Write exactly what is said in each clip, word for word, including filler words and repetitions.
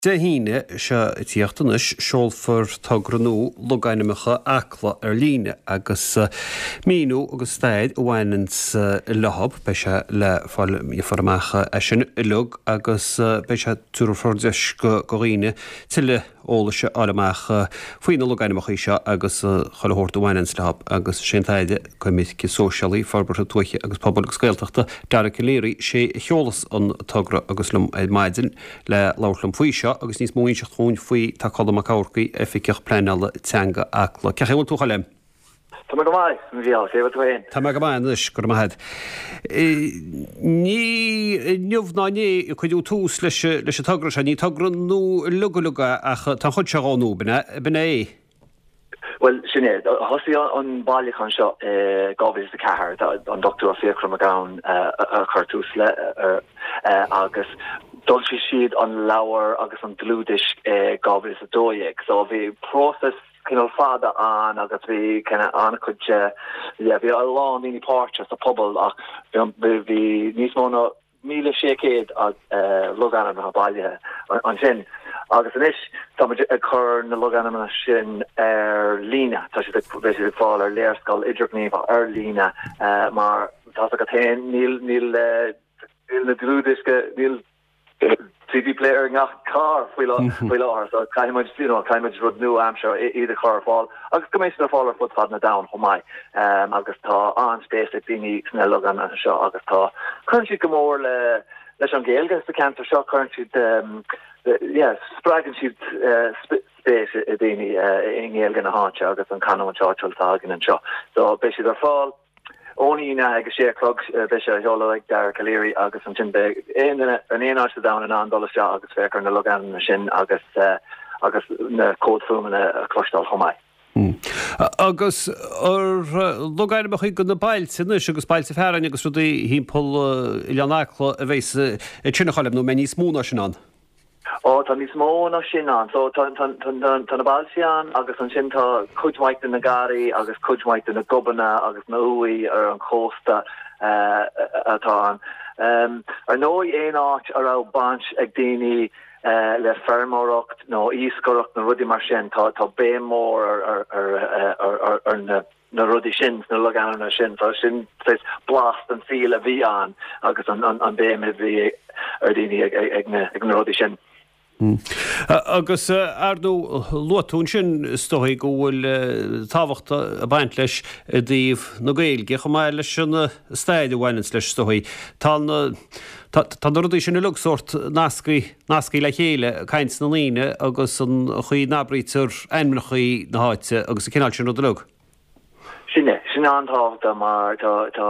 Dé hAoine seo ag tíocht anois, seolfar togra nua logainmneacha Acla ar líne agus míniú agus stair a bhaineanns leo. Beidh sé le fáil gheofar amach é sin uilig agus beidh sé tabharfar deis do dhaoine tuilleadh eolais a fháil amach faoi na logainmneacha seo agus chuile shórt a bhaineanns leo agus sé an tAire Coimirce Sóisialaí, Forbartha Tuaithe agus Pobail agus Gaeltachta, Dara Calleary, sé a sheolas an togra agus liom ar maidin le labhairt liom faoi seo agus níos mó a inseacht dhúinn faoi tá Colm Mac Eachmharcaigh, Oifigeach Pleanála Teanga Acla. Cén chaoi a bhfuil tú, a Choilm? Tá mé go maith, a Mhícheáil, cé bhfuil tú féin? Tá mé go maith anois, go raibh maith agat. Ní inniu ná inné a cuireadh tús leis leis an togra seo, ní togra nua uilig uilig é ach tá an chuid seo dhó nua, b'in é, b'in é. Bhuel, sin é. Thosaigh an bailiúchán seo i dhá mhíle is a ceathair, an Dochtúir Fiachra Mac Gabhann a chuir tús le agus d'fhoilsigh siad an leabhar agus an dlúthdhiosca i dhá mhíle is a dó dhéag. So bhí próiseas cineál fada ann agus bhí cineál an-chuid yeah bhí a lán daoine páirteach sa phobal ach bhí níos mó ná míle sé chéad logainmneacha bailithe ansin. Agus anois tá muid ag cur na logainmneacha sin ar líne, tá siad ag beidh siad ag fáil ar léarscáil idirghníomhach ar líne mar tá a fhios agat féin níl níl níl na dlúthdhiosca níl CD player i ngach carr faoi faoi láthair so caithfidh muid you know caithfidh muid rud nua-aimseartha iad a chur ar fáil agus go mbeidh siad ar fáil ar fud fad na domhan chomh maith um, agus tá an-spéis ag daoine sna logainmneacha seo agus tá cuireann siad go mór le leis an Ghaeilge sa ceantar seo cuireann siad um, yeah, spreagann siad uh, spéis i daoine uh, i nGaeilge na háite agus an canúint áitiúil atá againn anseo. So beidh siad ar fáil ón Aoine ag a sé a chlog beidh sé á sheoladh ag Dara Calleary agus ansin beidh aon duine in aon áit sa domhan in ann dul isteach agus féach ar na logainmneacha sin agus agus na comhaid fuaimeanna a chloisteáil chomh maith. Agus ar logainmneacha do na bailte anois agus bailte fearainn agus rudaí thimpeall Oileán Acla a bheas ansin a Choilm nó mbeidh níos mó ná sin ann? Ó tá níos mó ná sin ann. So tá tá tá tá na bailte ann agus ansin tá cuid mhaith de na garraí agus cuid mhaith de na gobanna agus na uaigh ar an chósta uh, atá ann. Um, ar ndóigh aon áit a raibh baint ag daoine uh, le feirmeoireacht nó iascaireacht na rudaí mar sin tá tá béim mór ar ar ar ar, ar, ar na na rudaí sin na logainmneacha sin tá sin blas den saol a bhí ann agus an an, an béim a bhí ar daoine ag, ag, ag, na, ag na rudaí sin. Mm. Agus ar ndóigh luaigh tú ansin is dóigh go bhfuil tábhacht ag baint leis i dtaobh na Gaeilge chomh maith leis an stair a bhaineanns leis is dóigh. Tá na tá na rudaí sin uilig sórt nasctha nasctha le chéile caint na ndaoine agus an chaoi n-abraítear ainmneacha na háite agus an cineál sin rud uilig. Sin é, sin an-tábhachtach mar tá tá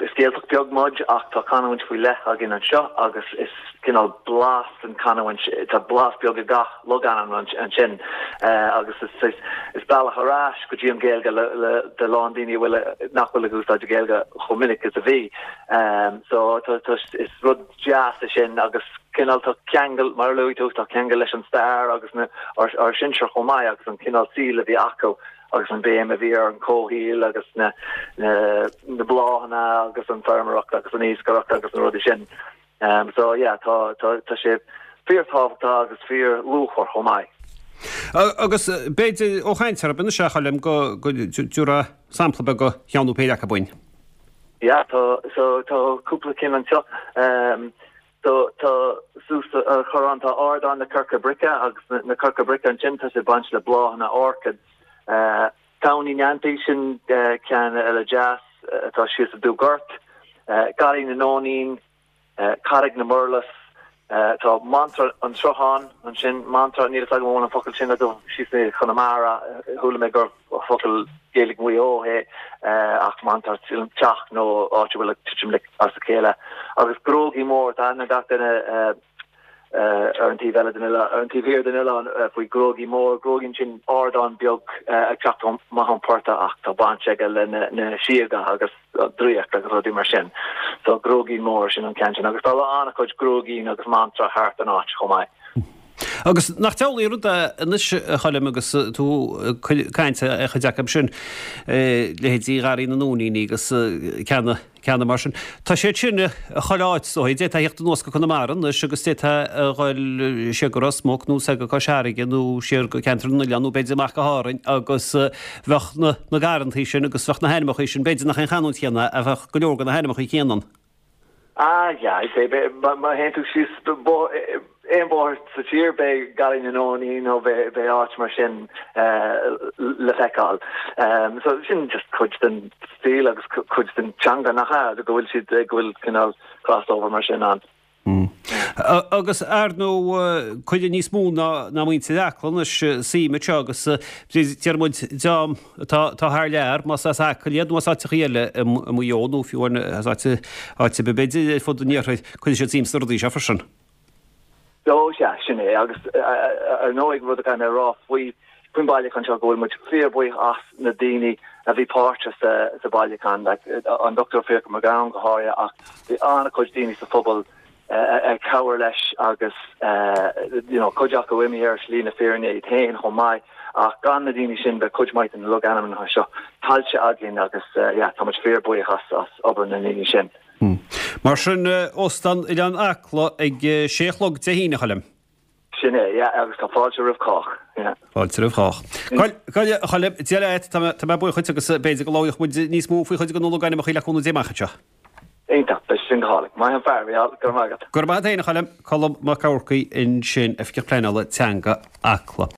is Gaeltacht beag muid ach tá canúint faoi leith againn anseo agus is cineál blas an canúint tá blas beag i gach logainm ansin uh, agus is, is, is bealach ar ais go dtí an Gaeilge le, le, de lán daoine bhfuil nach bhfuil ag úsáid Gaeilge chomh minic is a bhí. Um, so tá, tá, is rud deas é sin agus cineál tá ceangal mar luaigh tú tá ceangal leis an stair agus na ár, ár sinsir chomh maith agus an cineál saoil a bhí acu agus an béim a bhí ar an comhshaol agus na na, na bláthanna agus an feirmeoireacht agus an iascaireacht agus na rudaí sin. Um, so yeah, tá tá tá sé fíorthábhachtach agus fíorluachmhar chomh maith. Agus b'fhéidir ó chaint ar bin se choilm go go dtabharfá sampla beag de cheann nó péire acu dúinn. Yeah, tá so tá cúpla cinn anseo. Um, so tá suas ar chorrán tá ardán na coirce brice agus na, na coirce brice ansin tá sé baint le bláthanna orchids. Uh, Tóin Uí Neantaí sin uh, ceann eile deas atá uh, síos i Dúgort, uh, Garraí na Nóinín, uh, Carraig na Murlas, uh, tá Mantra an Srutháin ansin mantra níl agam an focal sin do síos i Conamara chuala mé gur focal Gaeilge Mhaigh Eo é uh, ach mantra teach nó áit bhfuil titim as a chéile agus Grógaí Mór tá na gach duine uh, uh, ar an taobh eile den ar an taobh thiar den oileán uh, faoi Grógaí Mór Gróigín sin ardán beag uh, ag teacht amach ón portach ach tá baint aige le na, na síoga agus draíocht agus rudaí mar sin. So Gróigín Mór sin an ceann sin agus tá an-chuid Gróigín agus Mantra thart an áit chomh maith. Agus nach diabhlaí rud é anois, a Choilm, agus tú ag caint ar chuid acu sin, leithéidí Gharraí na Nóiníní agus ceanna, ceanna mar sin. Tá siad sin chuile áit is dóigh. D'fhéadfá a thíocht anuas go Conamara anois agus d'fhéadfá a dhul siar go Ros Muc nó soir go Cois Fharraige nó siar go Ceantar na nOileán nó b'fhéidir amach go hÁrainn agus bheadh na, na garrantaí sin agus bheadh na hainmneacha sin, b'fhéidir nach an chanúint chéanna ach bheadh go leor de na hainmneacha céanna ann. Ah yeah, I'd say má théann tú síos aon bhóthar sa tír beidh Garraí na Nóiníní nó beidh áit mar sin le feiceáil. So sin just cuid den stíl agus cuid den teanga nach ea, go bhfuil siad, go bhfuil cineál crossover mar sin ann. Agus ar ndóigh cuireann níos mó ná muintir Acla anois suim anseo agus deir muid dream atá thar lear, más as Acaill iad nó as áiteachaí eile i Maigh Eo nó fiú as áit ar bith b'fhéidir ar fud an iarthair, cuireann siad suim sna rudaí seo freisin. Ó sea, sin é agus ar ndóigh rud a chaithfidh mé a rá faoi faoin bailiúchán seo go bhfuil muid fíorbhuíoch as na daoine a bhí páirteach sa bhailiúchán, like an Dochtúir Fiachra Mac Gabhann go háirithe ach bhí an-chuid daoine sa phobal ag cabhair leis agus you know cuid acu imithe ar shlí na fírinne iad féin chomh maith ach gan na daoine sin bheadh cuid mhaith de na logainmneacha seo caillte againn agus yeah tá muid fíorbhuíoch as as obair na ndaoine sin. Mar sin, Óstán Oileán Acla ag sé a chlog Dé hAoine, a Choilm. Sin é, yeah, agus tá fáilte roimh chách, yeah. Fáilte roimh chách. Coil, a Choilm, Dia leat, tá mé, tá mé buíoch dhuit agus b'fhéidir go labhróidh muid níos mó faoi chuid de na logainmneacha le cúnamh Dé amach anseo. Iontach, beidh sin go hálainn. Maith an fear, Mícheál, go raibh maith agat. Go raibh maith agat féin, a Choilm. Colm Mac Eachmharcaigh ansin, Oifigeach Pleanála Teanga Acla.